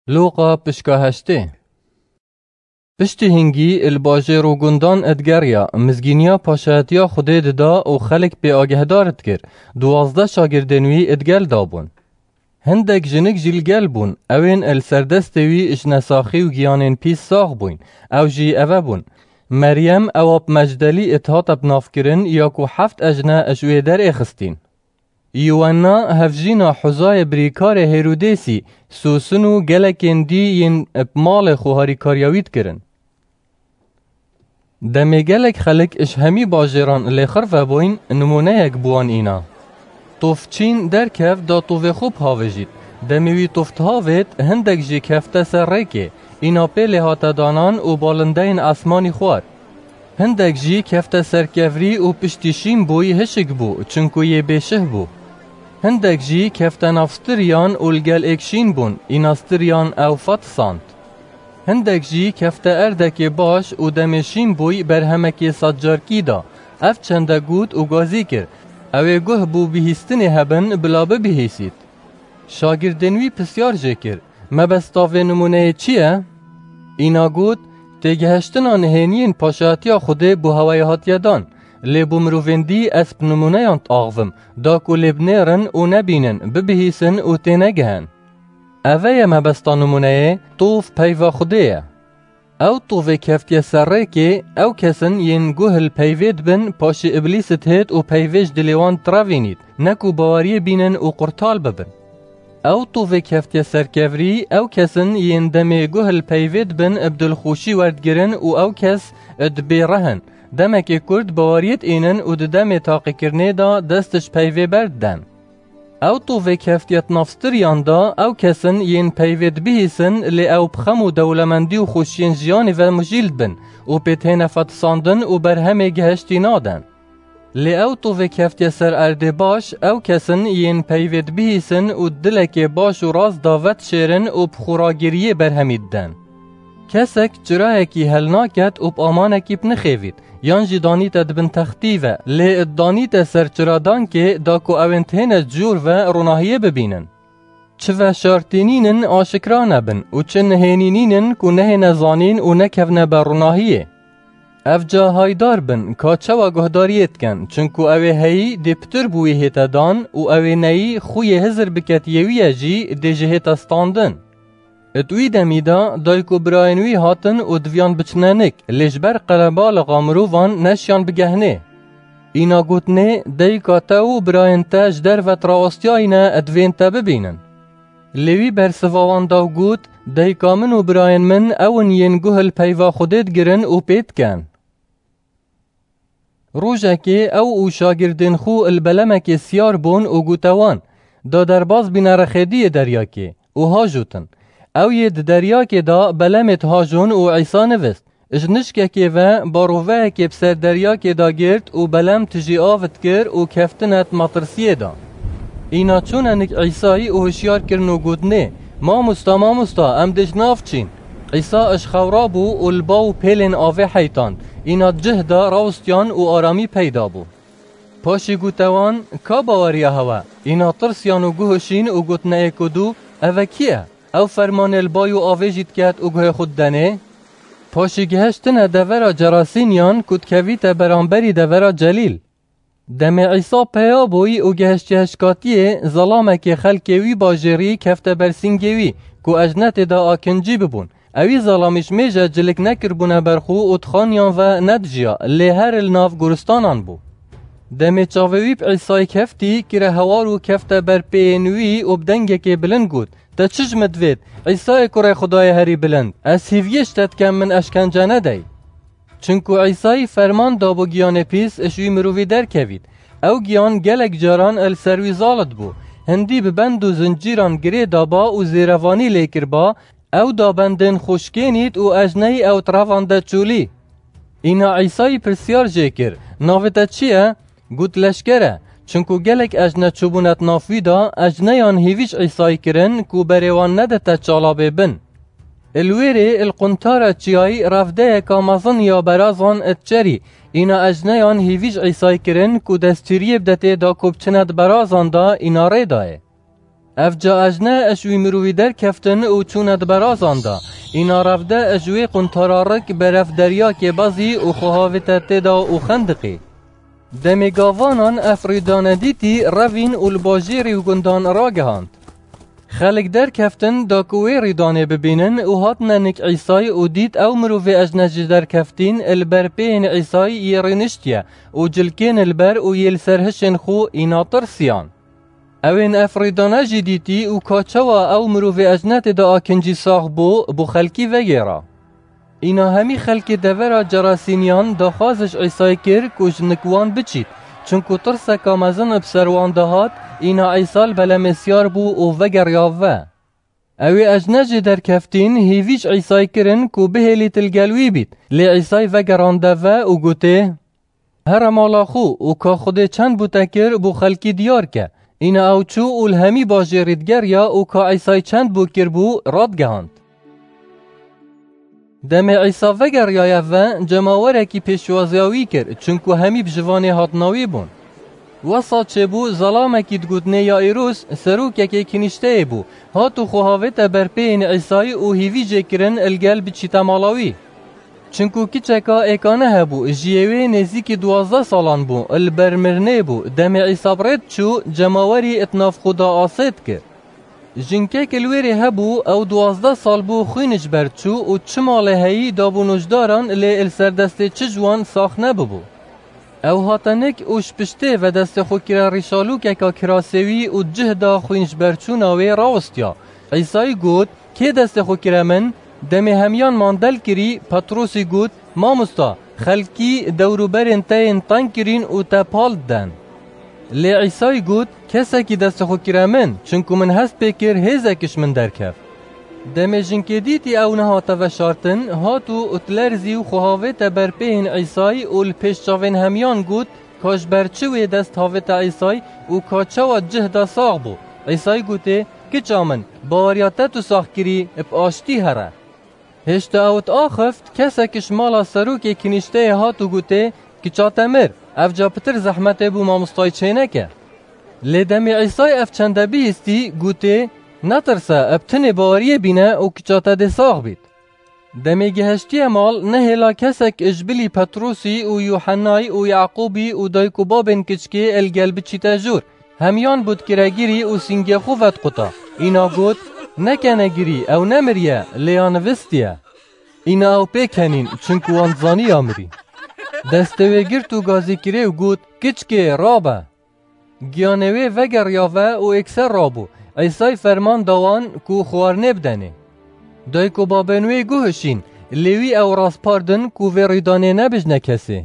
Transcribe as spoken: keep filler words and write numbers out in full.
Lûqa pişka heştê. Piştî hingî li bajêr û gundan digeriya, mizgîniya paşayetiya Xwedê dida û xelk pê agehdar dikir. Duwazdeh şagirdên wî di gel de bûn. Hindek jinik jî li gel bûn, ewên li ser destê wî ji nesaxî û giyanên pîs sax bûyn, ew jî eve bûn: Meryem ewa bi Mecdelî dihate binavkirin, ya ku heft ejne ji wê derê xistîn. Yuwenna hevjîna Huzayê birîkarê Hêrûdêsî, Sûsin û gelekên dî yên bi malê xwe harîkariya wî dikirin. Demê gelek xelk ji hemî bajêran lêxir vebûyn, nimûneyek bi wan îna. Tof çîn derkev da tovê xwe bihavêjît. Demê wî tof dihavêt, hindek jî kefte ser rêkê, îna pê lê hate danan û balindeyên esmanî xwar. Hindek jî kefte ser kevrî û piştî şîn bûy hişik bû, çinku yê bêşih bû. Hindek jî kefte nav stiriyan û li gel êk şîn bûn, îna stiriyan ew fetisand. Hindek jî kefte erdekê baş û demê şîn bûy berhemekê sedcarkî da, ev çende got û gazî kir, ew ê guh bo bihîstinê hebin bila bibihîsît. Şagirdên wî pisyar jê kir, Mebesta vê nimûneyê çi ye? Îna got, Têgihiştina nihêniyên paşatiya Xwedê bo hewayê hatiye dan, lê bo mirovên dî ez bi nimûneyan diaxivim, da ku lê binêrin û nebînin, bibihîsin û tênegihin. Eve ye mebesta nimûneyê, tov peyva Xwedê ye. Ew tovê keftiye ser rêkê, ew kes in yên guh li peyvê dibin, paşê Îblîs dihêt û peyvê ji dilê wan direvînît, ne ku baweriyê bînin û qurtal bibin. Ew tovê keftiye ser kevrî, ew kes in yên demê guh li peyvê dibin, bi dilxweşî werdigirin û ew kes dibê reh in. Demekê kurt baweriyê diînin û di demê taqîkirinê de dest ji peyvê berdiden. Ew tovê keftiye di nav stiriyan de, ew kes in yên peyvê dibihîsin, lê ew bi xem û dewlemendî û xweşiyên jiyanê ve mijîl dibin û pê têne fetisandin û berhemê gihiştî nadin. Lê ew tovê keftiye ser erdê baş, ew kes in yên peyvê dibihîsin û di dilekê baş û rast de vedişêrin û bi xwe ragiriyê berhemî didin. Kesek çirayekî helnaket û bi amanekî binixêvît, yan jî danîte di bin textî ve, lê didanîte ser çiradankê, da ku ewên têne cûr ve ronahiyê bibînin. Çi veşartî nînin aşikra nebin û çi nihênî nînin ku nehêne zanîn û nekevne ber ronahiyê. Evca haydar bin ka çawa guhdariyê dikin, çinku ew ê heyî dê pitir bi wî hête dan û ew ê neyî xwiyê hizir biketiyê wî ye jî dê ji hête standin. Di wî demî de dayik û birayên wî hatin û diviyan biçine nik, lê ji ber qerebalixa mirovan neşiyan bigehnê. Îna gotinê, Dayika te û birayên te ji derve di rawestiyayî ne, divên te bibînin. Lê wî bersiva wan da û got, Dayika min û birayên min ew in yên guh li peyva Xwedê digirin û pê dikin. Rojekê ew û şagirdên xwe li belemekê siyar bûn û gote wan, Da derbas bîne rexê diyê deryakê û hajotin. Ew yê di deryakê de belemê dihajon û Îsa nivist. Ji nişkekê ve baroveyekê bi ser deryakê de girt û belem tijî av dikir û keftine di metirsiyê de. Îna çûne nik Îsayî û hişyar kirin û gotinê, Mamosta, mamosta, em dê ji nav çîn. Îsa ji xew rabû û li ba û pêlên avê heytand. Îna di cih de rawistiyan û aramî peyda bû. Paşî gote wan, Ka baweriya hewe? Îna tirsiyan û guh şîn û gotine êk û du, Eve kî ye? Ew fermanê li bay û avê jî diket û guhê xwe didenê? Paşî gihiştine devera Cerasîniyan ku dikevîte beramberî devera Celîl. Demê Îsa peya bûyî û gihiştiye hişkatiyê, zelamekê xelkê wî bajêrî kefte ber sîngê wî, ku ejnetê de akincî bibûn. Ewî zelamî ji mêje cilik nekiribûne ber xwe û di xaniyan ve nedijiya, lê her li nav goristanan bû. Demê çavê wî bi Îsayê keftî, kire hewar û kefte ber pêyên wî û bi dengekê bilind got, Te çi ji min divêt, Îsayê kurê Xwedayê herî bilind? Ez hîviyê ji te dikem min eşkence nedey. Çinku Îsayî ferman dabû giyanê pîs ji wî mirovî derkevît. Ew giyan gelek caran li ser wî zalit bû. Hindî bi bend û zincîran girê daba û zêrevanî lê kiriba, ew da bendên xwe şikênît û ejneyî ew di revan de çûlî. Îna Îsayî pirsiyar jê kir, Navê te çi ye? Got, Leşker e, çinku gelek ejne çûbûne di nav wî de, ejneyan hîvî ji Îsayî kirin ku berê wan nedite çalabê bin. Li wêrê li quntara çiyayî revdeyeka mezin ya berazan diçerî, îna ejneyan hîvî ji Îsayî kirin ku destûriyê bide tê da ku biçine di berazan de îna rê dayê. Ev ca ejne eş wî mirovî derkeftin û çûne di berazan de. Îna revde eş wê quntara rik beref deryakê bezî û xwe havête tê de û xendiqê. Demê gavanan ev rîdane dîtî revîn û li bajêrî û gundan ragihand. Xelk derkeftin da ku wê rîdanê bibînin û hatine nik Îsay û dît ew mirovê ejne jî derkeftîn li ber pêyên Îsay yê rîniştiye û cilkên li ber û yê li ser hişên xwe îna tirsiyan. Ewên ev rîdane jî dîtî û ka çawa ew mirovê ejne tê de akincî sax bû, bo xelkî vegêra. Îna hemî xelkê devera Cerasîniyan daxwaz ji Îsay kir ku ji nik wan biçît, çinku tirseka mezin bi ser wan de hat, îna Îsa li belemê siyar bû û vegeriya ve. Ewê ejne jê derkeftîn hêvî ji Îsay kirin ku bihêlît li gel wî bît, lê Îsay vegerande ve û gotê, Here mala xwe û ka Xwedê çend bo te kir bo xelkî diyar ke. Îna ew çû û li hemî bajêrî digeriya û ka Îsay çend bo kiribû radigihand. Demê Îsa vegeriyaye ve, cemawerekî pêşwaziya wî kir, çinku hemî bi ji vanê hatina wî bûn. Wesa çêbû, zelamekî digotinê Yaîrûs, serokekê kinîşteyê bû, hat û xwe havête ber pêyên Îsay û hîvî jê kirin li gel biçîte mala wî. Çinku kiçeka êkane hebû, jiyê wê nêzîkî duwazdeh salan bû, li ber mirinê bû, demê Îsa bi rê diçû, cemawerî di nav xwe de asê dikir. Jinkek li wêrê hebû, ew duwazdeh sal bû xwîn ji ber çû û çi malê heyî dabû nûjdaran, lê li ser destê çi ji wan sax nebibû. Ew hate nik û ji piştê ve destê xwe kire rîşalûkeka kirasê wî û di cih de xwîn ji ber çûna wê rawistiya. Îsayî got, Kê destê xwe kire min? Demê hemiyan mandel kirî, Petrosî got, Mamosta, xelkî dewrûberên te yên teng kirîn û te pal diden. Lê Îsayî got, Kesekî destê xwe kire min, çinku min hest pê kir hêzek ji min derkeft. Demê jinkê dîtî ew nehate veşartin, hat û dilerzî û xwe havête ber pêhên Îsayî û li pêş çavên hemiyan got, Ka ji ber çi wê dest havête Îsayî û ka çawa cih da sax bû. Îsayî gotê, Kiça min, baweriya te tu sax kirî, bi aştî here. Hêşta ew diaxift, kesek ji mala serokê kinîşteyê hat û gotê, Kiça te mir, ev ca pitir zehmetê bo mamostayî çêneke. Lê demê Îsayî ev çende bihîstî, gotê, Netirse, bi tinê baweriyê bîne û kiça te dê sax bît. Demê gihiştiye mal, nehêla kesek ji bilî Petrosî û Yuhennayî û Yaqûbî û dayik û babên kiçkê li gel biçîte jûr. Hemiyan bo dikire girî û sîngê xwe vediquta. Îna got, Nekene girî, ew nemiriye, lê ya nivistiye. Îna ew pê kenîn, çinku wan dizanî ya mirî. Destê wê girt û gazî kirê û got, Kiçkê, rabe! Giyanê wê vegeriya ve û êkser rabû. Îsayî ferman da wan ku xwarinê bidenê. Dayik û babên wê guhişîn, lê wî ew raspardin ku vê rîdanê nebijne kesê.